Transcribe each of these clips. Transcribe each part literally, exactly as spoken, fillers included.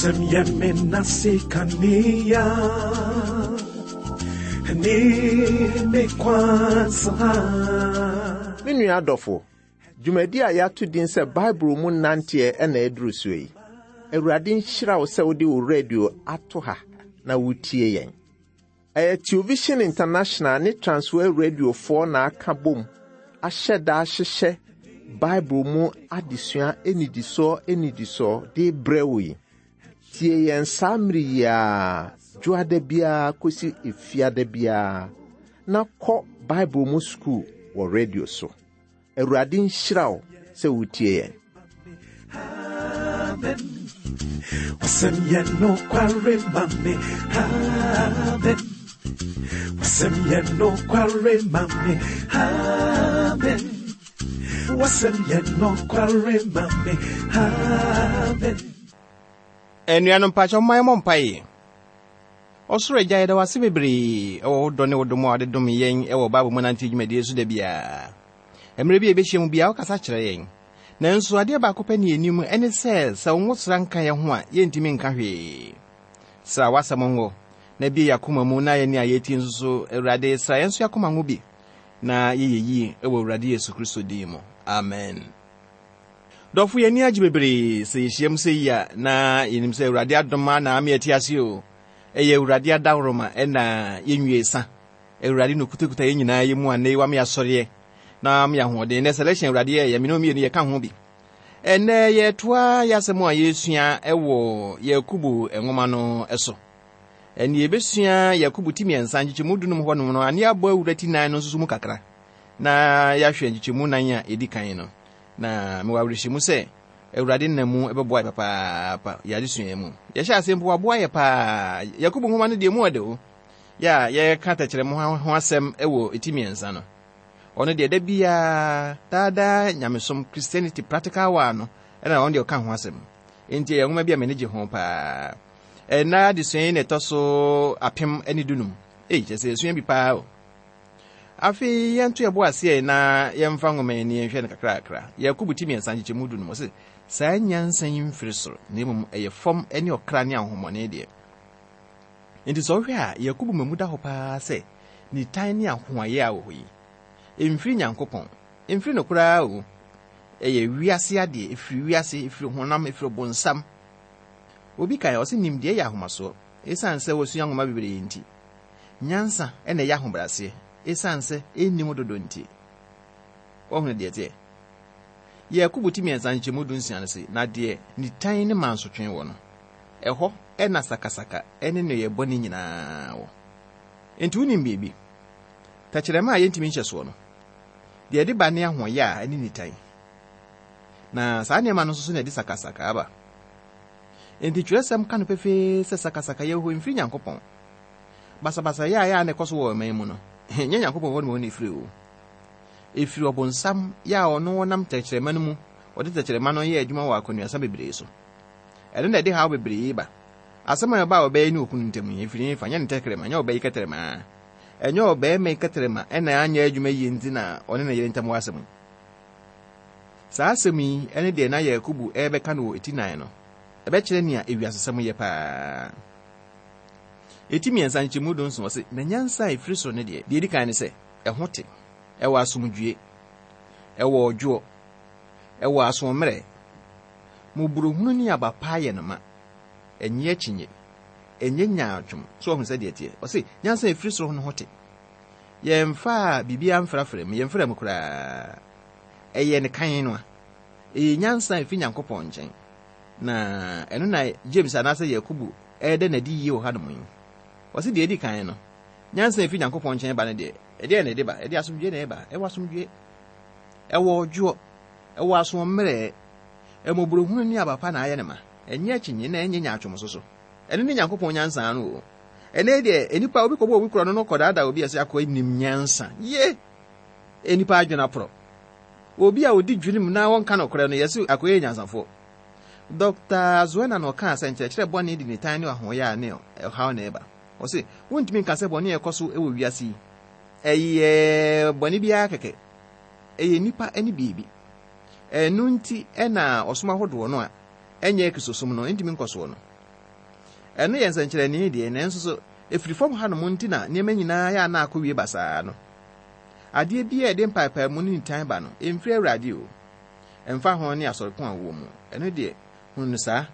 Wasɛm yɛ me nase kanea ne me kwansa. Me nua adɔfo, dwumadi a yɛato din sɛ Bible mu nanteɛ ɛna ɛduru so yi. Awurade nhyira wo sɛ wode wo radio ato ha na wotie yɛn. Ɛyɛ Television International ne Transworld Radiofoɔ na aka bom ahyɛ da ahyehyɛ Bible mu adesua anidisoɔ anidisoɔ de brɛ wo yi. Tie yɛn saa mmere yi ara, dwoada biara kɔsi efiada biara, na kɔ Bible mu sukuu wɔ radio so. Awurade nhyira wo sɛ wotie yɛn. Amen. Wasɛm yɛ nokware ma me. Amen. Wasɛm yɛ nokware ma me. Amen. Wasɛm yɛ nokware ma me. Amen. Anuanom mpakyɛ momma yɛmmɔ mpaeɛ. Ɔsoro Agya, yɛda wo ase bebree ɛwɔ wo dɔ ne wo dom a wode dom yɛn ɛwɔ Bible mu nante dwumadie so da biara. Mmerɛ bi a yɛbɛhyia mu biara, wokasa kyerɛ yɛn. Nanso adeɛ baako pɛ ne yɛnim ɛne sɛ sɛ wo nwosra nka yɛn ho a, yɛntumi nka hwee. Sra w'asɛm ngo na bie yɛn akoma mu na yɛne a yɛtie nso so, Awurade, sra yɛn nso yɛn akoma ngo bi na yɛyɛ yie ɛwɔ Awurade Yesu Kristo din mu. Amen. Dɔfo, yɛn ani agye bebree sɛ yɛhyia mu sɛ yi a na yɛnim sɛ Awurade adom a na ama yɛte ase o. Ɛyɛ Awurade adaworoma ɛna yɛnwie sa. Awurade na okutakuta yɛn nyinaa yɛ mu a nnɛ wama yɛasɔreɛ na ama yɛ ahoɔden. Nnɛ selection Awurade yɛ yɛ mene mmienu yɛka ho bi. Ɛnnɛ yɛtoa yɛasɛm a yɛsua ɛwɔ Yakubu nwoma no so. Ɛne yɛbɛsua Yakubu ti mmiɛnsa nkyekyɛmu dunum hɔnom no, ane abɔ awura ti nan no nso so mu kakra. Na yɛahwɛ nkyekyɛmu nan a ɛdi kan no. Na mewɔ awerɛhyɛmu sɛ Awurade nam mu ɛbɛboa yɛ papaapa yɛ adesua mu. Yɛhyɛ ase mpo waboa yɛ paa. Yakubu nwoma no deɛ mu ɔde o. Yɛ a yɛka tɛkyerɛma ho asɛm ɛwɔ ti mmiɛnsa no. Ɔno deɛ da biara daadaa nyamesom Christianity practical wa no ɛna ɔno deɛ ɔka ho asɛm. Enti ɛyɛ nwoma bi a m'ani gye ho paa. Ɛnna adesua yi na ɛtɔ so apem ne dunum. Ei, kyerɛ sɛ yɛsua bi paa o. Afei yɛnto yɛbo aseɛ na yɛmfa nwoma yi ni yɛnhwɛ no kakrakra. Yakubu ti mmiɛnsa nkyekyɛmu dunum ɔse saa nyansa yi mfiri soro na mmom ɛyɛ fam ne ɔkra ne ahonhommɔne deɛ. Enti sɛ wohwɛ a Yakubu ma mu da hɔ paa sɛ nitan ne ahoayɛ a wɔ hɔ yi ɛmfiri Nyankopɔn, ɛmfiri no koraa o. Ɛyɛ wiase adeɛ, ɛfiri wiase, ɛfiri honam, ɛfiri bonsam. Obi kae ɔse nimdeɛ yɛ ahomasoɔ ɛsiane sɛ wɔsua nwoma bebree nti. Nyansa ɛna ɛyɛ ahobrɛaseɛ ɛsiane sɛ ɛnnim dodo nti. Wɔhunu deɛ teɛ. Yakubu ti mmiɛnsa nkyɛmu du nsia no se na deɛ nitan ne mansotwe wɔ no, ɛhɔ ɛna sakasaka ɛne nneyɛe bɔne nyinaa wɔ. Enti wonim biribi? Tɛkyerɛma a yɛntumi nhyɛ soɔ no, deɛ ɛde ba ne ahoɔyɛ a ɛne nitan. Na saa nneɛma no nso so na ɛde sakasaka aba. Enti twerɛsɛm ka no pefee sɛ sakasaka yɛ hɔ mfiri Nyankopɔn. Basabasayɛ a ɛyɛ a na ɛkɔ so wɔ ɔman mu no, ɛnyɛ Nyankopɔn hɔ na wɔn efiri o. Efiri ɔbonsam yɛ a ɔno ɔnam tɛkyerɛma no mu, ɔde tɛkyerɛma no yɛ adwuma wɔ akɔnuasa bebree so. Ɛno na ɛde haw bebree ba. Asɛm a ɛba a ɔbɛyɛ ne okunu ntam yi, efiri fa nyɛ ne tɛkyerɛma, nyɛ ɔbɛyi kɛtɛrɛma. Ɛnyɛ ɔbɛrima yi kɛtɛrɛma ɛna anyɛ adwuma yie nti na ɔne ne yere ntam wɔ asɛm yi. Saa asɛm yi ɛne deɛ na Yakubu ɛrebɛka no wɔ eti nan no, ɛbɛkyerɛ nea ewiasesɛm yɛ paa. Eti mmiɛnsa nkyɛmu du nson ɔse, na nyansa a efiri soro ne deɛ, deɛ edi kan ne sɛ, ɛho te, ɛwɔ asomdwie, ɛwɔ ɔdwoɔ, ɛwɔ asoɔmmerɛ, mmɔborɔhunu ne aba pa ayɛ no ma, ɛnyɛ akyinnye, ɛnyɛ nyaatwom. So ɔhunu sɛ deɛ teɛ. Ɔse, nyansa a efiri soro no ho te. Yɛmfa biribiara mfrafra mu, yɛmfra mu koraa. Ɛyɛ ne kan no a. Ɛyɛ nyansa a efiri Nyankopɔn nkyɛn. Na ɛno na James anaasɛ Yakubu ɛreda n'adi yie wɔ hanom yi. Ɔse deɛ edi kan no, nyansa a efiri Nyankopɔn nkyɛn ba no deɛ, ɛdeɛ na ɛde ba? Ɛde asomdwie na ɛba. Ɛwɔ asomdwie. Ɛwɔ ɔdwoɔ. Ɛwɔ asoɔmmerɛ. Mmɔborɔhunu ne aba pa na ayɛ ne ma. Ɛnyɛ akyinnye na ɛnyɛ nyaatwom nso so. Ɛno ne Nyankopɔn nyansa no o. Ɛnɛ deɛ, nnipa obi kɔbɔ obi korɔ no no kɔdaadaa obi a sɛ akɔ nim nyansa. Ye! Nnipa adwene aporɔ. Obi a odi dwene mu na wɔnka nokorɛ no, yɛse akɔyɛ nyansafoɔ. Dɔkta Zuena na ɔkaa sɛ nkyerɛkyerɛ bɔne de nitan ne ahoɔyɛ a ne ɔhaw na ɛba. Ɔse, wontumi nka sɛ bɔne a ɛkɔ so wɔ wiase yi, ɛyɛ bɔne biara kɛkɛ. Ɛyɛ nnipa ne biribi. Ɛno nti ɛna ɔsom ahodoɔ no a ɛnyɛ Kristosom no, ɛntumi nkɔ soɔ no. Ɛno yɛ nsɛnkyerɛnne deɛ, nanso so ɛfiri fam hanom nti na nneɛma nyinaa yɛ ana akɔwie basaa no. Adeɛ bi a ɛde mpaepaemu ne nitan ba no, ɛmfiri Awurade o. Ɛmfa ho ne asɔreko a wowɔ mu. Ɛno deɛ, hunu no saa.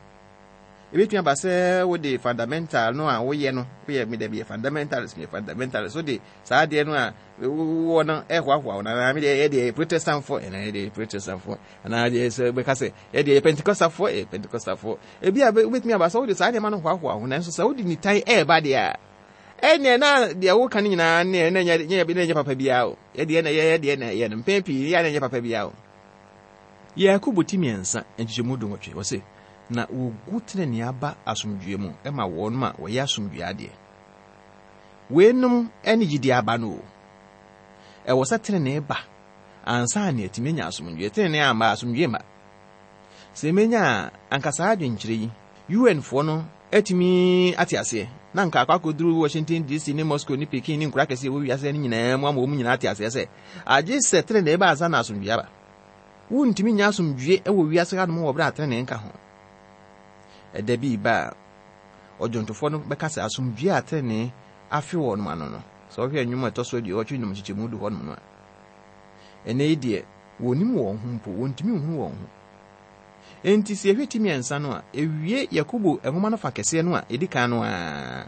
Ebetumi aba sɛ wode fundamental no a woyɛ no, woyɛ me dɛ meyɛ fundamentalist, meyɛ fundamentalist, wode saa adeɛ no a wowɔ no ɛhoahoa wo, anaa me deɛ yɛdeɛ yɛ Protestantfoɔ, ɛnaa yɛdeɛ yɛ Protestantfoɔ, anaa deɛ sɛ bɛka sɛ yɛdeɛ yɛ Pentecostalfoɔ, yɛ Pentecostalfoɔ. Ebi a wobɛtumi aba sɛ wode saa nneɛma no hoahoa wo, nanso sɛ wode nitan ɛɛba deɛ a, ɛnneɛ na deɛ woka no nyinaa ne na ɛnyɛ na ɛnyɛ papa biara o. Yɛdeɛ na yɛyɛ deɛ na ɛyɛ no, mpɛn pii yɛ na ɛnyɛ papa biara o. Yakobo ti mmiɛnsa nkyekyɛmu dunwɔtwe, wɔse, na wogu tenenee aba asomdwoe mu ma wɔn a wɔyɛ asomdwoe adeɛ. Weinom ne gyidie aba no o. Ɛwɔ sɛ tenenee ba ansa na yɛatumi anya asomdwoe. Tenenee amma asomdwoe mma. Sɛ menya a, anka saa adwenkyerɛ yi, U N foɔ no atumi ate aseɛ, na anka akɔ akɔduru Washington D C ne Moscow ne Peking ne nkura kɛseɛ wɔ wiase no nyinaa mu ama wɔn nyinaa ate aseɛ sɛ, agye sɛ tenenee ba ansa na asomdwoe aba. Wontumi nya asomdwoe wɔ wiase hanom wɔ berɛ a tenenee nka ho. Ɛda bi ba a, ɔdwontofoɔ no bɛka sɛ asomdwoe a tenenee afe wɔ nom ano no, sɛ wohwɛ nnwom a ɛtɔ so aduɔwɔtwe nnum nkyekyɛmu du hɔnom no a, ɛnnɛ yi deɛ, wɔnnim wɔn ho mpo, wɔntumi nhunu wɔn ho. Enti sɛ yɛhwɛ ti mmiɛnsa no a, ewie Yakobo nwoma no fa kɛseɛ no a ɛdi kan no ara.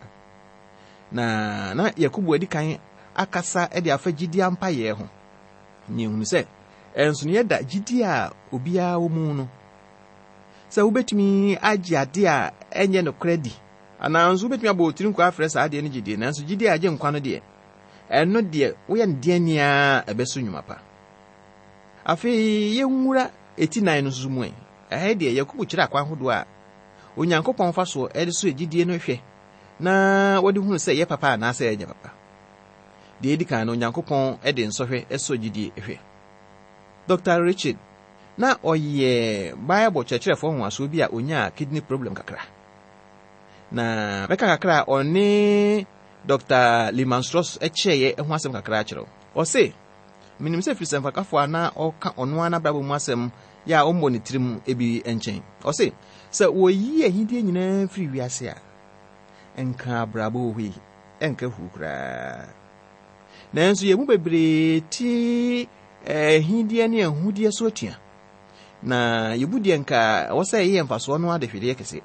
Na na Yakobo adi kan akasa de afa gyidie ampayɛ ho. Na yɛhunu sɛ, ɛnsonoeɛ da gyidie a obiara wɔ mu no, sɛ wobɛtumi agye adeɛ a ɛnyɛ nokorɛ di, anaa nso wobɛtumi abɔ wo tiri nkwa afrɛ saa adeɛ no gyidie, nanso gyidie a agye nkwa no deɛ, ɛno deɛ woyɛ no deɛ nea ɛbɛso nnwuma pa. Afei yɛnwura eti nan no nso mu ɛ. Ɛha deɛ Yakobo kyerɛ akwan ahodoɔ a Onyankopɔn fa soɔ ɛde so gyidie no hwɛ na wɔde hunu sɛ ɛyɛ papa anaasɛ ɛnyɛ papa. Deɛ edi kan no, Onyankopɔn de nsɔhwɛ sɔ gyidie hwɛ. Doctor Richard na ɔyɛ Bible kyerɛkyerɛfoɔ nwanwasoɔ bi a onyaa kidney problem kakra. Na mɛka kakra a ɔne Doctor Lyman Strauss kyerɛeɛ ho asɛm kakra akyerɛ wo. Ɔse, menim sɛ firi sɛmfakafoɔ a na ɔka ɔno ara n'abrabɔ mu asɛm yɛ a ɔmmɔ ne tirim ebi nkyɛn. Ɔse, sɛ wɔyi ahidie nyinaa firi wiase a, nka abrabɔ wɔ hɔ yi, ɛnka hu koraa. Nanso yɛn mu bebree te ahidie ne ahudeɛ so atua. Na yɛbu deɛ nka ɛwɔ sɛ ɛyɛ mfasoɔ no adehwedeɛ kɛseɛ.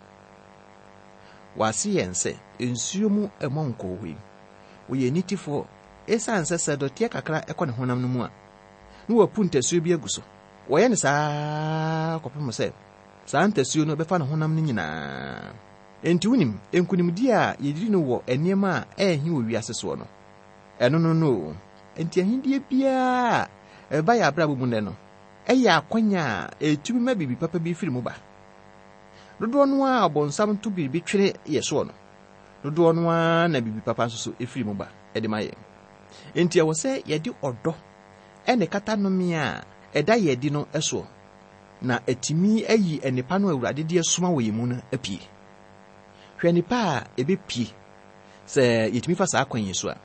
Wɔase yɛn sɛ nsuo mu ɛmɔ nkɔɔ hɔ yi. Wɔyɛ nitifoɔ ɛsiane sɛ sɛ dɔteɛ kakra ɛkɔ ne honam no mu a, na wɔapu ntasuo bi agu so. Wɔyɛ no saa kɔpem sɛ saa ntasuo no bɛfa ne honam no nyinaa. Enti wonim, nkonimdie a yɛdiri no wɔ nneɛma a ɛnhi wɔ wiase soɔ no, ɛno no no o. Enti ahidie biara a ɛba yɛ abrabɔ mu nnɛ no, ɛyɛ akwanya a ɛtumi ma biribi papa bi firi mu ba. Dodoɔ no ara a ɔbɔnsam to biribi twere yɛ soɔ no, dodoɔ no ara na biribi papa nso so ɛfiri mu ba ɛde ma yɛn. Enti ɛwɔ sɛ yɛde ɔdɔ ɛne kata nnome a ɛda yɛn adi no soɔ, na ɛtumi ayi nnepa no a Awurade de asoma wɔ yɛn mu no apue. Hwɛ nnepa a ɛbɛpue sɛ yɛtumi fa saa kwan yi so a.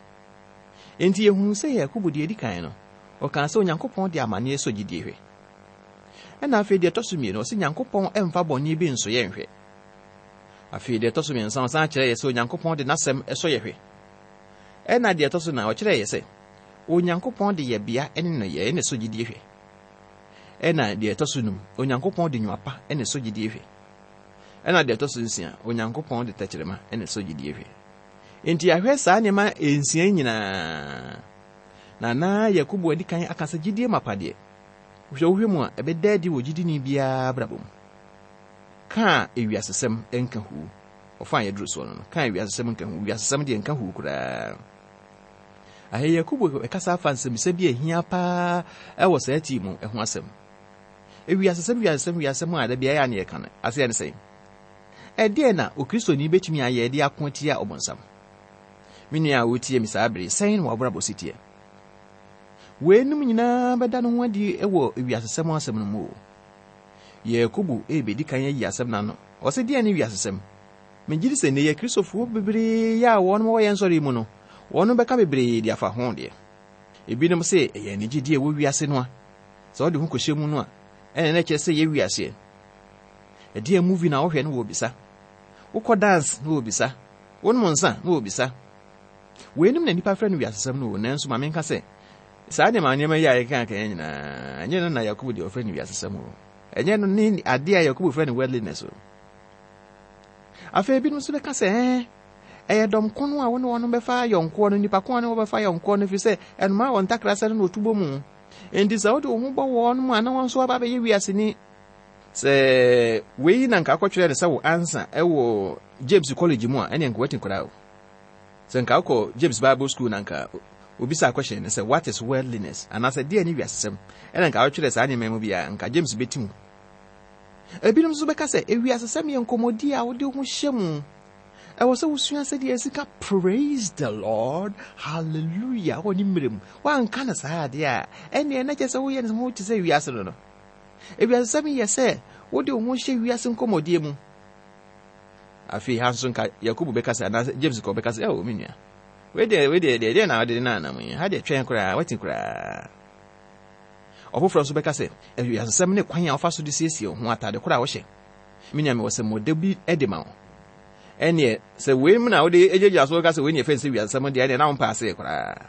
Enti yɛhunu sɛ Yakobo deɛ edi kan no, ɔkaa sɛ Onyankopɔn de amanneɛ sɔ gyidie hwɛ. Ɛna afei deɛ ɛtɔ so mmienu, ɔsɛ Nyankopɔn ɛmfa bɔne bi nso yɛ nhwɛ. Afei deɛ ɛtɔ so mmiɛnsa, ɔsan kyerɛ yɛ sɛ Onyankopɔn de n'asɛm ɛsɔ yɛ hwɛ. Ɛna deɛ ɛtɔ so nan, ɔkyerɛ yɛ sɛ Onyankopɔn de yɛbea ne nneyɛe ne sɔ gyidie hwɛ. Ɛna deɛ ɛtɔ so num, Onyankopɔn de nnwuma pa ne sɔ gyidie hwɛ. Ɛna deɛ ɛtɔ so nsia, Onyankopɔn de tɛkyerɛma ne sɔ gyidie hwɛ. Enti yɛahwɛ saa nneɛma nsia yi nyinaa. Na na Yakobo adi kan aka sɛ gyidie mapa deɛ, wohwɛ wohwɛ mu a, ɛbɛda adi wɔ gyidini biara abrabɔ mu. Ka ewiasesɛm nka hu. Ɔfa a yɛduru soɔ no no, ka ewiasesɛm nka hu. Ewiasesɛm deɛ nka hu koraa. Ahɛ Yakobo ɛkasa afa nsɛmsɛm bi a ɛhia paa ɛwɔ saa tii mu ɛho asɛm. Ewiasesɛm, wiasesɛm, wiasesɛm a da biara yɛ a ne yɛka no, aseɛ ne sɛn? Ɛdeɛn na Okristoni bɛtumi ayɛ de ako atia ɔbonsam? Me nua a wotie me saa bere, sɛn na w'abrabɔ si teɛ? Weinom nyinaa bɛda ne ho adi wɔ ewiasesɛm asɛm no mu o. Yakobo ebedi kan ayi asɛm n'ano. Ɔsɛ deɛn ne wiasesɛm? Megye di sɛ nnɛ yɛ Kristofoɔ bebree a wɔn wɔ yɛn nsɔre mu no, wɔn bɛka bebree de afa ho deɛ. Ebinom sɛ ɛyɛ anigyedie wɔ wiase no a, sɛ wɔde ho kɔhyɛ mu no a, ɛna na ɛkyerɛ sɛ yɛ wiaseɛ. Ɛdeɛn movie na wohwɛ no wɔ bisa? Wokɔ dance na wɔbisa. Wonom nsa na wɔbisa. Weinom na nnipa frɛ no wiasesɛm no o, nanso ma menka sɛ, saa nneɛma nneɛma yi a yɛka aka nyinaa, ɛnyɛ no na Yakobo deɛ ɔfrɛ no wiasesɛm o. Ɛnyɛ no ne adeɛ a Yakobo frɛ no worldliness o. Afei ebinom nso bɛka sɛ, ɛɛ, ɛyɛ dɔm ko no a wo ne wɔn bɛfa yɔnkoɔ no, nipa ko a ne wɔbɛfa yɔnkoɔ no, ɛfiri sɛ ɛnomaa wɔn ntakra sɛ no na ɔtu bɔ mu. Enti sɛ wode wo ho bɔ wɔn mu a na wɔn nso aba abɛyɛ wiaseni. Sɛ wei na nka akɔtwerɛ no sɛ wo ansa ɛwɔ James College mu a, ɛneɛ nka wati koraa o. Sɛ nka wokɔ James Bible School na nka obisa question no sɛ what is worldliness anaasɛ deɛ ne wiasesɛm, ɛna nka wotwerɛ saa nneɛma mu bi a, nka James bɛti mu. Ebinom nso bɛka sɛ ewiasesɛm yɛ nkɔmmɔdi a wode ho hyɛ mu. Ɛwɔ sɛ wosua sɛdeɛ ɛsi praise the Lord, hallelujah, wɔ ne mmerɛ mu. Woanka no saa adeɛ a, ɛnneɛ na kyerɛ sɛ woyɛ ne ho te sɛ wiase no no. Ewiasesɛm yɛ sɛ wode wo ho hyɛ wiase nkɔmmɔdie mu. Afei ha nso nka Yakobo bɛka sɛ, anaasɛ James kɔ bɛka sɛ, ɛwɔ me nua, wei deɛ wei deɛ deɛ deɛ na wode na anam yi, ha deɛ twɛn koraa, wati koraa. Ɔfoforɔ nso bɛka sɛ, ewiasesɛm ne kwan a wɔfa so de siesie wo ho, atade koraa a wɔhyɛ. Me nua, mewɔ sɛ mmɔda bi de ma wo. Ɛneɛ sɛ wei mu na wode gyinagyina so ka sɛ wei ne yɛfrɛ no sɛ wiasesɛm deɛ, ɛneɛ na wompɛ aseɛ koraa.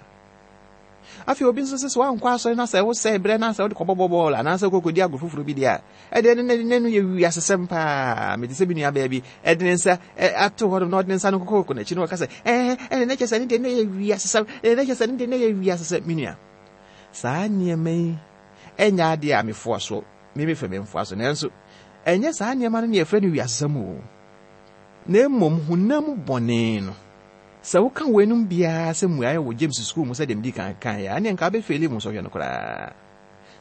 Afei obi nso sɛ sɛ woankɔ asɔre na sɛ wosɛe berɛ na sɛ wode kɔbɔbɔ bɔɔl anaasɛ wokɔkɔdi agorɔ foforɔ bi deɛ a, ɛdeɛ ne ne no yɛ wiasesɛm paa. Mete sɛ bi nua baa bi ɛde ne nsa ato hɔ nom na ɔde ne nsa no kɔkɔkɔ n'akyi na ɔka sɛ, ɛɛ ɛne ne kyɛ sɛ ne deɛ ne yɛ wiasesɛm, ɛne ne kyɛ sɛ ne deɛ ne yɛ wiasesɛm. Me nua, saa nneɛma yi ɛnyɛ adeɛ a mefoa so, me mefɛ memfoa so, nanso ɛnyɛ saa nneɛma no ne yɛfrɛ no wiasesɛm o. Na mmom honam bɔne no, sɛ woka weinom biara sɛ mmuaeɛ wɔ James school mu sɛdeɛ medi kan kaeɛ a, ɛneɛ nka wobɛfeeli mu sɔhwɛ no koraa.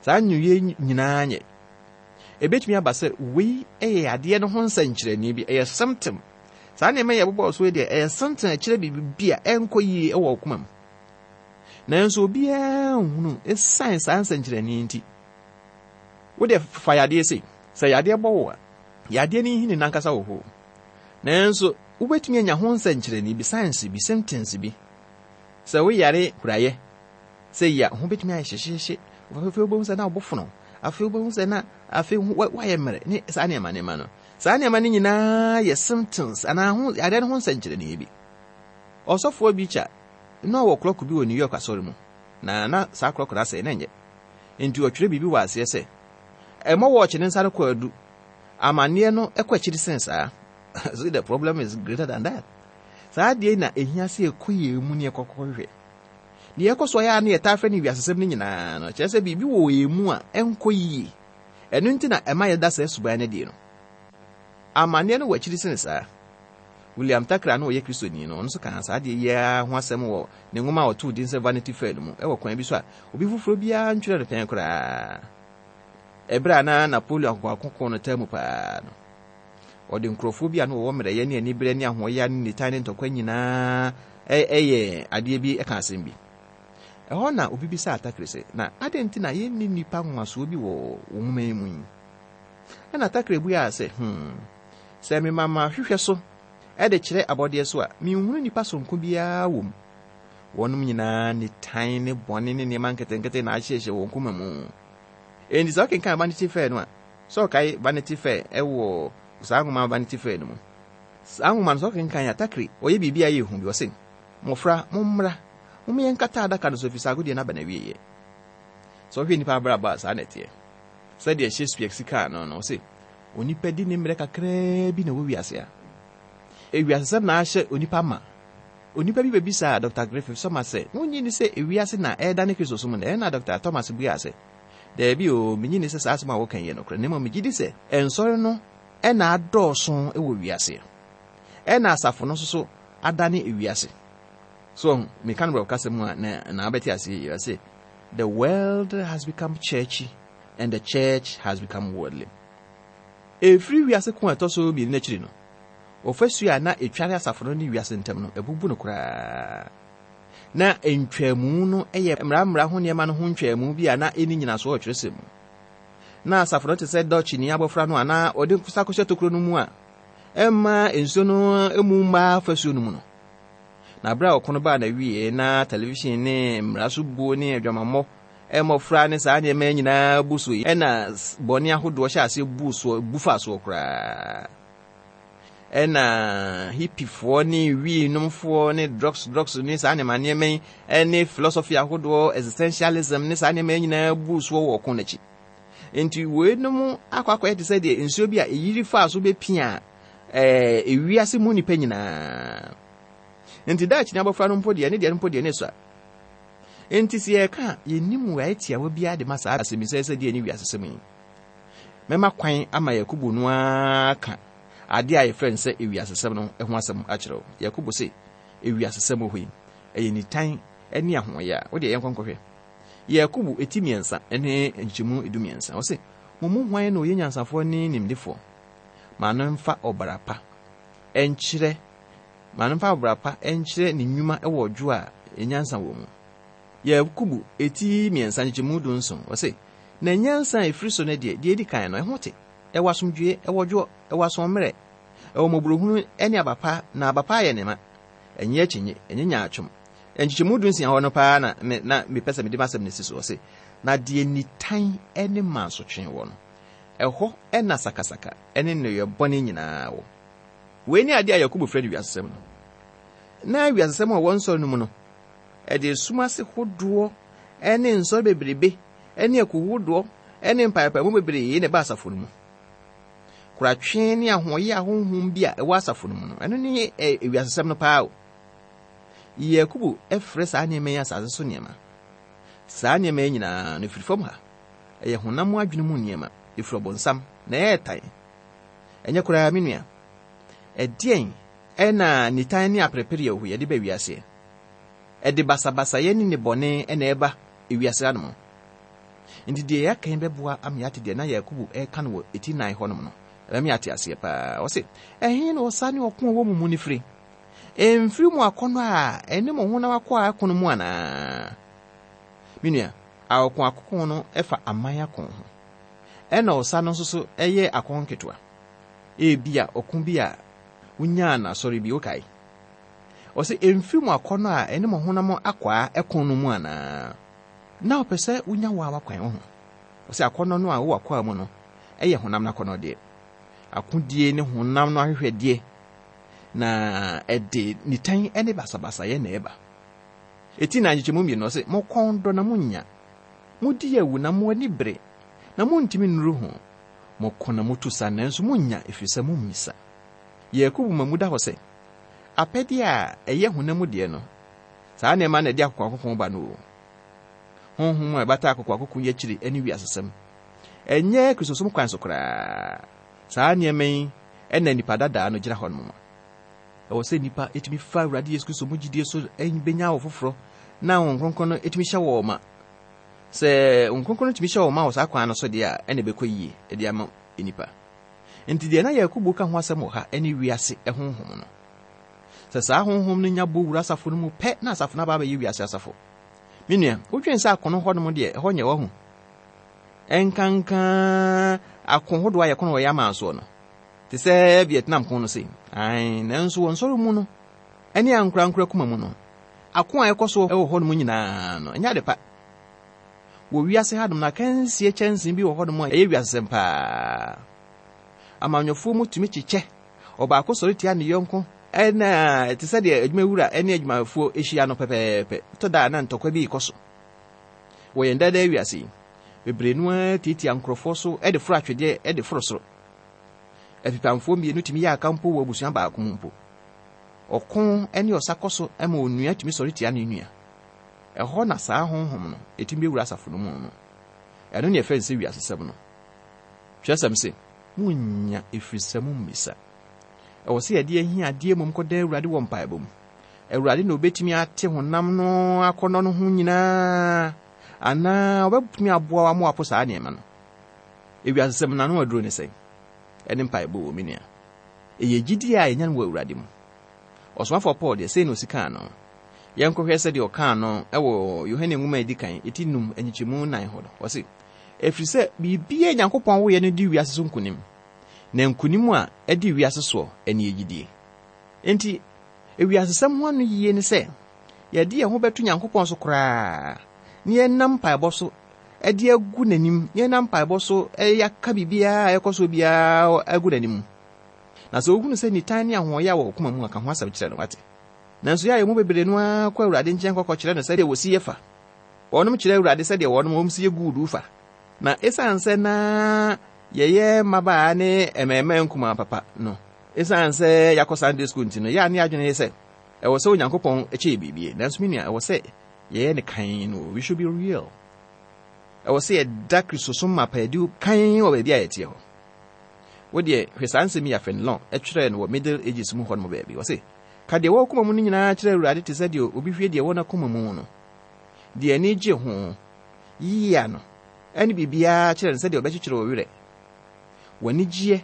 Saa nnwuiɛ nyinaa nyɛ. Ɛbɛtumi aba sɛ wei yɛ adeɛ no ho nsɛnkyerɛnne bi, ɛyɛ symptom. Saa nneɛma yɛ bobɔɔ so yi deɛ, ɛyɛ symptom a ɛkyerɛ biribi bi a ɛnkɔ yie wɔ wo koma mu. Nanso obiara nhunu ɛsiane saa nsɛnkyerɛnne nti. Wo deɛ fa yadeɛ sei, sɛ yadeɛ bɔ wo a, yadeɛ no nhini nankasa wɔ hɔ. Nanso wobɛtumi anya ho nsɛnkyerɛnne bi, signs bi, symptoms bi. Sɛ woyare huraeɛ, sɛ yi a, ho bɛtumi ayɛ hyehyeehye. Afei wobɛhu sɛ na wo bo fono. Afei wobɛhu sɛ na afei woayɛ mmerɛ ne saa nneɛma nneɛma no. Saa nneɛma no nyinaa yɛ symptoms anaa ho yadeɛ no ho nsɛnkyerɛnne bi. Ɔsɔfoɔ bi kya na ɔwɔ clock bi wɔ New York asɔre mu, na na saa clock no asɛe na ɛnyɛ. Nti ɔtwerɛ biribi wɔ aseɛ sɛ, ɛmmɔ wɔɔkye ne nsa no kɔ adu, amanneɛ no kɔ akyiri sen saa. So the problem is greater than that. Saa adeɛ na ehia sɛ ɛkɔ yɛn mu ne ɛkɔkɔhwehwɛ. Deɛ ɛkɔ so ayɛ a ne yɛtaa frɛ no wiasesɛm no nyinaa no, kyerɛ sɛ biribi wɔ yɛn mu a ɛnkɔ yie. Ɛno nti na ɛma yɛda saa suban no adi no. Amanneɛ no wɔ akyiri sen saa. William Thackeray no ɔyɛ Kristoni no, ɔno nso kaa saa adeɛ yi ara ho asɛm wɔ ne nwoma a ɔtoo din sɛ Vanity Fair no mu, ɛwɔ kwan bi so a obi foforɔ biara ntwerɛ no pɛn koraa. Ɛberɛ a na Napoleon akokoakoko no taa mu paa no, ɔde nkurɔfoɔ bi a na wɔwɔ mmerɛyɛ ne aniberɛ ne ahoɔyɛ ne nitan ne ntɔkwa nyinaa ɛyɛ adeɛ bi ɛka asɛm bi. Ɛhɔ na obi bisaa Thackeray sɛ, na adɛn nti na yɛnni nnipa nwanwasoɔ bi wɔ wɔn nwoma yi mu yi? Ɛna Thackeray buaa sɛ, hmm, sɛ mema mahwehwɛ so ɛde kyerɛ abɔdeɛ so a, menhunu nnipa sononko biara wɔ mu. Wɔnom nyinaa nitan ne bɔne ne nneɛma nketenkete na ahyehyɛ wɔn koma mu. Enti sɛ wokenkan Vanity Fair no a, sɛ ɔkae Vanity Fair ɛwɔ saa nwoma Vanity Fair no mu. Saa nwoma no sɛ wokenkan a, Thackeray ɔyɛ biribi a ɛyɛ hu bi. Ɔse, mmɔfra, mommra, momma yɛnkata adaka no so ɛfiri sɛ agodie no aba n'awieeɛ. Sɛ wohwɛ nnipa abrabɔ a, saa na ɛteɛ. Sɛdeɛ Shakespeare si kaa no no, ɔse, onipa di ne mmerɛ kakraa bi na ɛwɔ wiase a. Ewiasesɛm na ahyɛ onipa ma. Onipa bi bɛbisaa Doctor Griffith Thomas sɛ, wonnye nni sɛ ewiase na ɛredane Kristo som nnɛ? Ɛnna Doctor Thomas buaa sɛ, daabi o, minnye nni sɛ saa asɛm a wɔka yi yɛ nokorɛ, na mmom megye di sɛ nsɔre no ɛna adɔɔso wɔ wiase. Ɛna asafo no nso so adane ewiase. So, meka no borɔfo kasa mu a na na wobɛte aseɛ yie. Ɔse, the world has become churchy and the church has become worldly. Ɛfiri wiase ko a ɛtɔ so mmienu n'akyiri no, ɔfasuo a na ɛtware asafo no ne wiase ntam no, ɛbubu no koraa. Na ntwamu no yɛ mmara ho nneɛma no ho ntwamu bi a na ɛni nyinasoɔ wɔ twerɛsɛm mu. Na asafo no te sɛ dɔkyini abɔfra no a na ɔde nsa kɔhyɛ tokuro no mu a ɛmma nsuo no mu mmaa fasuo no mu no. Na berɛ a ɔko no baa n'awie na television ne mmara so buo ne adwamammɔ mmɔfra ne saa nneɛma nyinaa bu so yi, ɛna bɔne ahodoɔ hyɛ aseɛ bu soɔ, bu fa soɔ koraa. Ɛna hippiefoɔ ne wii-nomfoɔ ne drugs drugs ne saa nneɛma nneɛma yi ne philosophy ahodoɔ, existentialism ne saa nneɛma yi nyinaa buu soɔ wɔ ɔko n'akyi. Nti weinom akɔ akɔyɛ te sɛ deɛ nsuo bi a ɛyiri faa so bɛpia ɛɛ ewiase mu nipa nyinaa. Nti daakye ne abɔfra no mpo deɛ, ne deɛ no mpo deɛ ne sua. Nti sɛ yɛka a, yɛnnim wɔ tiawa biara de ma saa asɛmmisa sɛ deɛ ne wiasesɛm yi. Mɛma kwan ama Yakobo no ara ka adeɛ a yɛfrɛ no sɛ ewiasesɛm no ho asɛm akyerɛ wo. Yakobo se ewiasesɛm wɔ hɔ yi, ɛyɛ nitan ne ahoɔyɛ a wode yɛnkɔ nkɔhwɛ. Yakobo eti mmiɛnsa ne nkyɛmu edu mmiɛnsa. Ɔse, mo mu hwan na ɔyɛ nyansafoɔ ne nimdefoɔ? Ma no mfa ɔbra pa ɛnkyerɛ ma no mfa ɔbra pa ɛnkyerɛ ne nnwuma wɔ ɔdwo a nyansa wɔ mu. Yakobo eti mmiɛnsa nkyɛmu du nson. Ɔse, na nyansa a ɛfiri so no deɛ, deɛ edi kan no, ɛho te. Ɛwɔ asomdwie, ɛwɔ dwoɔ, ɛwɔ asɔmmerɛ, ɛwɔ mmɔborɔhunu ne aba pa, na aba pa ayɛ ne ma. Ɛnyɛ akyinye, ɛnyɛ nyaatwom. Nkyekyɛmu du nsia hɔ no paa na me na mepɛ sɛ mede m'asɛm no si so. Ɔse, na deɛ nitan ne mansotwe wɔ no, ɛhɔ na sakasaka ne nneyɛe bɔne nyinaa wɔ. Wei ne adeɛ a Yakobo frɛ no wiasesɛm no. Na wiasesɛm a ɛwɔ nsɔre no mu no, ɛde esum ase hodoɔ ne nsɔre bebrebe ne akuw hodoɔ ne mpaepaemu bebree na ɛba asafo no mu. Koratwe ne ahoɔyɛ ahonhom bi a ɛwɔ asafo no mu no, ɛno ne ewiasesɛm no paa o. Yakobo frɛ saa nneɛma yi asase so nneɛma. Saa nneɛma yi nyinaa no firi fam ha. Ɛyɛ honam adwene mu nneɛma, ɛfiri ɔbonsam na ɛyɛ tan. Ɛnyɛ koraa, me nua. Ɛdeɛn ɛna nitan ne aperepere yɛ yɛde ba wiase? Ɛde basabasayɛ ne nnebɔne na ɛba ewiase anom. Nti deɛ yɛaka yi bɛboa ama yɛate deɛ na Yakobo ɛreka no wɔ eti nan hɔnom no. Ɛbɛma yɛate aseɛ paa. Ɔse, ɛhe na ɔsa ne ɔko a ɛwɔ mo mu no firi? Ɛmfiri mo akɔnnɔ a ɛne mo honam akɔ a ɛko no mu anaa? Me nua, ɔko akoko no ɛfa aman ako ho. Ɛna ɔsa no nso so ɛyɛ ako nketewa. Ebia ɔko bi a wonyaa n'asɔre bi, wokae. Ɔse, ɛmfiri mo akɔnnɔ a ɛne mo honam akɔ a ɛko no mu anaa? Na ɔpɛ sɛ wonya wo a wakwan wo ho. Ɔse akɔnnɔ no a wowɔ akɔ a mu no, ɛyɛ honam no akɔnnɔ deɛ. Akodie ne honam no ahwehwɛdeɛ na ɛde nitan ne basabasayɛ na ɛba. Eti na nkyekyɛmu mmienu ɔse, mo kɔn dɔ na monnya. Modi awu na mo ani bere, na montumi nnuru ho. Moko na motu sa nanso monnya ɛfiri sɛ mommisa. Yakobo ma mu da hɔ sɛ, apɛdeɛ a ɛyɛ honam mu deɛ no, saa nneɛma na ɛde akokoakoko ba no o. Honhom a ɛbata akokoakoko yi akyiri ne wiasesɛm. Ɛnyɛ Kristosom kwan so koraa. Saa nneɛma yi ɛna nipa dadaa no gyina hɔ nom. Ɛwɔ sɛ nipa etumi fa Awurade Yesu Kristo mu gyidie so benya wɔ foforɔ na wɔn kronkron no etumi hyɛ wɔn ma. Sɛ wɔn kronkron no tumi hyɛ wɔn ma wɔ saa kwan no so deɛ a, ɛna ɛbɛkɔ yie ɛde ama nipa. Nti deɛ na Yakobo ka ho asɛm wɔ ha ɛne wiase honhom no. Sɛ saa honhom no nya bɔ wura asafo no mu pɛ na asafo no aba abɛyɛ wiase asafo. Me nua, wodwen sɛ akono hɔnom deɛ ɛhɔ nyɛ wɔ ho. Ɛnkanka ako hodoɔ a yɛko no wɔ yɛ aman soɔ no. Te sɛ Vietnam ko no sei. Ae, nanso wɔ nsɔre mu no, ɛne ankorankora kuma mu no, ako a ɛkɔ so wɔ hɔnom nyinaa no, ɛnyɛ ade pa. Wɔ wiase hanom no, akansie kyɛnsee bi wɔ hɔnom a ɛyɛ wiasesɛm paa. Amanyɔfoɔ mu tumi kyekyɛ. Ɔbaako sɔre tia ne yɔnko, ɛna te sɛ deɛ adwumawura ne adwumayɛfoɔ ahyia no pɛpɛɛpɛ. Tɔ da a na ntɔkwa bi rekɔ so. Wɔ yɛn daadaa wiase yi, bebree no ara tiatia nkurɔfoɔ so de foro atwedeɛ de foro soro. Afipamfoɔ mmienu tumi yɛ aka mpo wɔ abusua baako mu mpo. Ɔko ne ɔsa kɔ so ma onua tumi sɔre tia ne nua. Ɛhɔ na saa honhom no ɛtumi bɛwura asafo no mu no. Ɛno ne yɛfrɛ no sɛ wiasesɛm no. Twerɛsɛm se, monnya ɛfiri sɛ mommisa. Ɛwɔ sɛ yɛde ahiadeɛ mmom kɔda Awurade wɔ mpaebɔ mu. Awurade na obɛtumi ate honam no akɔnnɔ no ho nyinaa, anaa ɔbɛtumi aboa wo ama woapo saa nneɛma no. Ewiasesɛm no ano aduro ne sɛn? Ɛne mpaebɔ wɔ me nua. Ɛyɛ gyidie a yɛnya no wɔ Awurade mu. Ɔsomafoɔ Paul deɛ, sei na osi kaa no. Yɛnkɔhwɛ sɛdeɛ ɔkaa no ɛwɔ Yohane nwoma a ɛdi kan, eti num nkyekyɛmu nan hɔ no. Ɔse, ɛfiri sɛ biribiara Nyankopɔn woyɛ no di wiase so nkonim, na nkonim a ɛdi wiase soɔ ɛne gyidie. Enti, ewiasesɛm ho ano yie ne sɛ, yɛde yɛn ho bɛto Nyankopɔn so koraa, na yɛnam mpaebɔ so ɛde agu n'anim, na yɛnam mpaebɔ so yɛaka biribiara a ɛkɔ so biara agu n'anim. Na sɛ wohunu sɛ nitan ne ahoɔyɛ a wɔ koma mu a, ka ho asɛm kyerɛ no, wate. Nanso yɛ a yɛn mu bebree no ara kɔ Awurade nkyɛn kɔkɔkyerɛ no sɛdeɛ wɔsi yɛ fa. Wɔnom kyerɛ Awurade sɛdeɛ wɔnom wɔn si yɛ guuduu fa. Na esiane sɛ na yɛyɛ mmabaa ne mmarima nkumaa papa no, esiane sɛ yɛakɔ Sunday school nti no, yɛ a ne adwene yɛ sɛ ɛwɔ sɛ Onyankopɔn kyɛ yɛ biribi. Nanso me nua, ɛwɔ sɛ yɛyɛ ne kan no. We should be real. Ɛwɔ sɛ yɛda Kristosom mapa adi kan wɔ baabi a yɛteɛ hɔ. Wo deɛ, hwɛ saa nsɛm yi a Fenelon ɛtwerɛɛ no wɔ Middle Ages mu hɔ nom baabi. Wɔse, ka deɛ ɛwɔ koma mu no nyinaa kyerɛ Awurade te sɛ deɛ obi hwie deɛ ɛwɔ n'akoma mu no. Deɛ ani gye ho, yia no, ɛne biribiara kyerɛ no sɛdeɛ ɔbɛkyekyere wo werɛ. W'ani gyeɛ,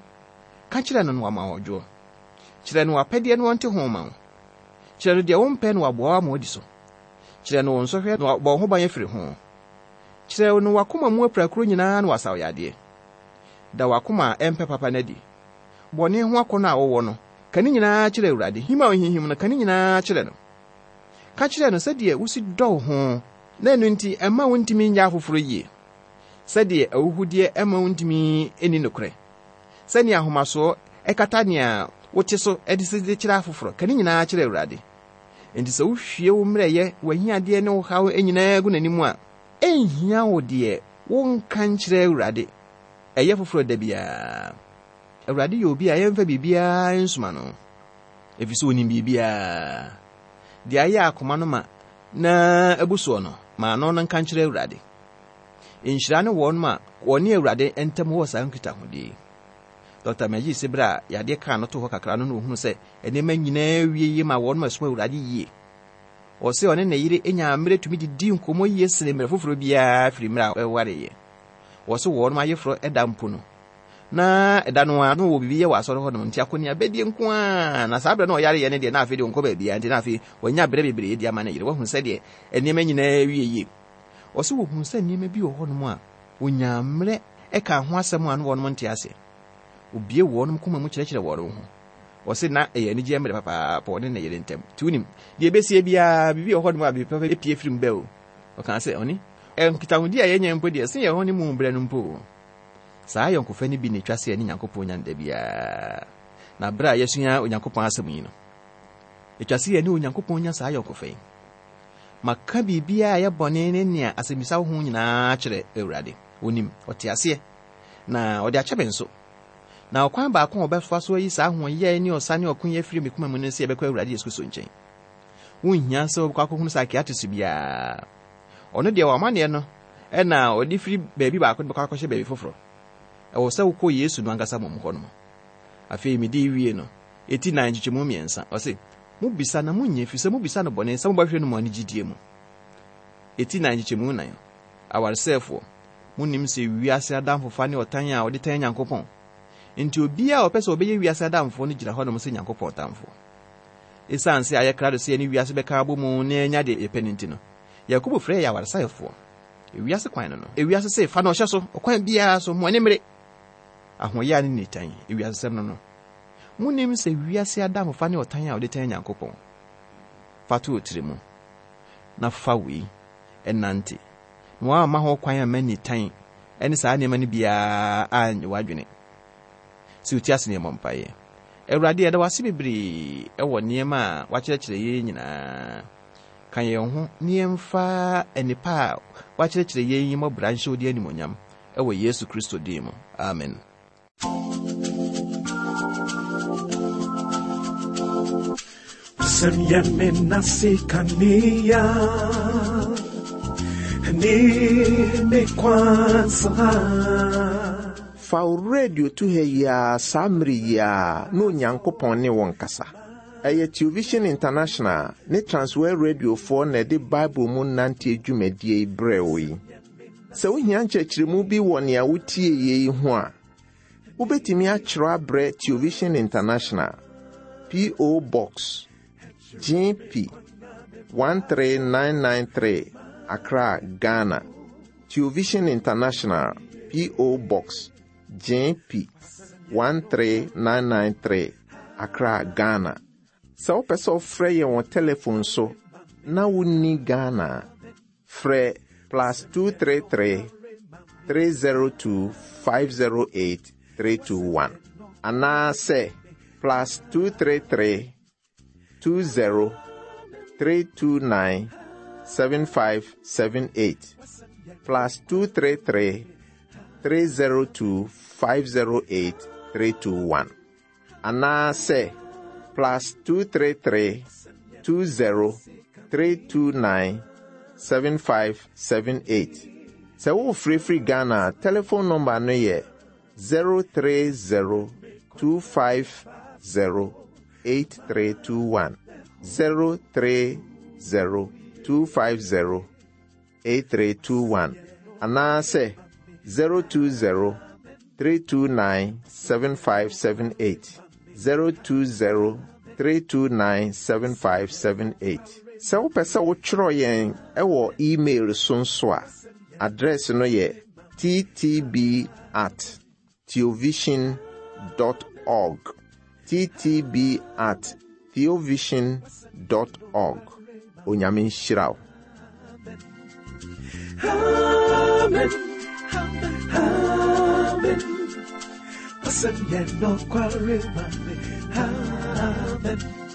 ka kyerɛ no no wama ɔdwoɔ. Kyerɛ no w'apɛdeɛ no ɔnte ho ma wo. Kyerɛ no deɛ wompɛ no waboa wo ama wadi so. Kyerɛ no wo nsɔhwɛ na wabɔ wo ho ban afiri ho. Kyerɛ no w'akoma mu apirakuro nyinaa na wasaw yadeɛ. Da w'akoma a ɛmpɛ papa no adi. Bɔne ho akɔnnɔ a wowɔ no, ka ne nyinaa kyerɛ Awurade. Him a ohinhim no, ka ne nyinaa kyerɛ no. Ka kyerɛ no sɛdeɛ wosi dɔ wo ho, na ɛno nti ɛmma wontumi nyɛ afoforɔ yie. Sɛdeɛ ahuhudeɛ ɛmma wontumi nni nokorɛ. Sɛnea ahomasoɔ ɛkata nea wote so de si de kyerɛ afoforɔ, ka ne nyinaa kyerɛ Awurade. Enti sɛ wohwie wo mmerɛyɛ, w'ahiadeɛ ne wo haw nyinaa gu n'anim a, ɛnhia wo deɛ wonka nkyerɛ Awurade. Ɛyɛ foforɔ da biara. Awurade yɛ obi a yɛmfa biribiara nsoma no, ɛfiri sɛ onim biribiara. Deɛ ayɛ akoma no ma na abu soɔ no, ma ano no nka nkyerɛ Awurade. Nhyira ne wɔn a wɔne Awurade ntam wɔ saa nkitahodie yi. Dɔkta Magee sɛ berɛ a yadeɛ kaa no to hɔ kakra no na ohunu sɛ nneɛma nyinaa wie yie ma wɔn a ɛsom Awurade yie. Ɔsɛ ɔne ne yere nya mmerɛ tumi didi nkɔmmɔ yie sene mmerɛ foforɔ biara firi mmerɛ a ɛwareeɛ. Wɔsɛ wɔn ayeforɔ ɛda mpo no, na ɛda no a na wɔwɔ biribi yɛ wɔ asɔre hɔ nom, nti akɔneabadie nko ara. Na saa berɛ na ɔyareeɛ no deɛ, na afei deɛ ɔnkɔ baabiara, nti na afei wanya berɛ bebree de ama ne yere. Wahu sɛdeɛ nneɛma nyinaa wie yie. Ɔsɛ wɔhunu sɛ nneɛma bi wɔ hɔnom a wɔnya mmerɛ ɛka ho asɛm a na wɔnom nte ase. Obie wɔnom koma mu kyerɛkyerɛ wɔn ho. Ɔsɛ na ɛyɛ anigyeɛ mmerɛ papaapa ɔne ne yere ntam. Nti wonim deɛ ɛbɛsie biara, biribi wɔ hɔnom a biribi papa pie firi mu bɛ o. Ɔkaa sɛ ɔne nkitahodi a yɛnya mpo deɛ, sɛ yɛn ho ne mu berɛ no mpo o. Saa ayɔnkofa no bi na ɛtwa sɛ yɛne Nyankopɔn nya no da biara. Na berɛ a yɛsua Onyankopɔn asɛm yi no, ɛtwa sɛ yɛne Onyankopɔn nya saa ayɔnkofa yi. Maka biribiara a ɛyɛ bɔne ne nea asɛmmisa wo ho nyinaa kyerɛ Awurade. Onim, ɔte aseɛ, na ɔde akyɛ me nso. Na ɔkwan baako a ɔbɛfa so ayi saa ahoɔyɛ ne ɔsa ne ɔko yi afiri me koma mu no sɛ yɛbɛkɔ Awurade Yesu Kristo nkyɛn. Wonhia sɛ wobɛkɔ akɔhunu psychiatrist biara. Ɔno deɛ w'amanneɛ no ɛna ɔde firi baabi baako de bɛkɔ akɔhyɛ baabi foforɔ. Ɛwɔ sɛ wokɔ Yesu no ankasa mmom hɔ nom. Afei mede wie no, ɛti nan nkyekyɛmu mmiɛnsa. Ɔse, mobisa na monnya, ɛfiri sɛ mobisa no bɔne sɛ mobɛhwɛ no mo anigyedie mu. Ɛti nan nkyekyɛmu nan. Awaresɛefoɔ, monim sɛ wiase adamfofa ne ɔtan a ɔde tan Nyankopɔn. Nti obiara a ɔpɛ sɛ ɔbɛyɛ wiase adamfoɔ no gyina hɔnom sɛ Nyankopɔn tamfoɔ. Esiane sɛ ayɛ krado sɛ yɛne wiase bɛka abɔ mu na yɛanya deɛ yɛpɛ no nti no, Yakobo frɛ yɛ awaresɛefoɔ. Ewiase kwan no no, ewiase sɛ fa no ɔhyɛ so, ɔkwan biara so, mo ani mmere. Ahoɔyɛ ne nitan, ewiasesɛm no no. Monim sɛ wiase adamfofa ne ɔtan a ɔde tan Nyankopɔn. Fa to wo tiri mu, na fa wei ɛnante. Na woamma ho kwan amma nitan ɛne saa nneɛma no biara anyɛ w'adwene. Sɛ wotie ase ne yɛmmɔ mpaeɛ. Awurade, yɛda wo ase bebree ɛwɔ nneɛma a wakyerɛkyerɛ yɛn nyinaa. Ka yɛn ho ne yɛmfa nnipa a wakyerɛkyerɛ yɛn yi mmɔbra nhyɛ wo din animuonyam ɛwɔ Yesu Kristo din mu. Amen. Wasɛm yɛ me nase kanea ne me kwan so ha. Fa wo radio to ha yi ara saa mmere yi ara na Onyankopɔn ne wo nkasa. Ɛyɛ Television International ne Transworld Radiofoɔ na ɛde Bible mu nante dwumadie yi brɛ wo yi. Sɛ wohia nkyerɛkyerɛmu bi wɔ nea wotie yie yi ho a, wobɛtumi akyerɛw abrɛ Television International, P O. Box G P one three nine nine three, Accra, Ghana. Television International, P O. Box G P one three nine nine three, Accra, Ghana. Sɛ wopɛ sɛ wofrɛ yɛn wɔ telephone so na wonni Ghana a, frɛ plus two three three, three zero two, five zero eight, three two one anaasɛ plus two three three two zero three two nine seven five seven eight plus two three three three zero two five zero eight three two one anaasɛ plus two three three two zero three two nine seven five seven eight. Sɛ wofirifiri Ghana a, telephone number no yɛ zero three zero two five zero eight three two one zero three zero two five zero eight three two one anaasɛ zero two zero three two nine seven five seven eight zero two zero three two nine seven five seven eight. Sɛ wopɛ sɛ wotwerɛ yɛn ɛwɔ email so nso a, address no yɛ ttb at theovision dot org ttb at theovision dot org. Onyame nhyira wo. Amen. Amen. Wasɛm yɛ nokware ma me. Amen.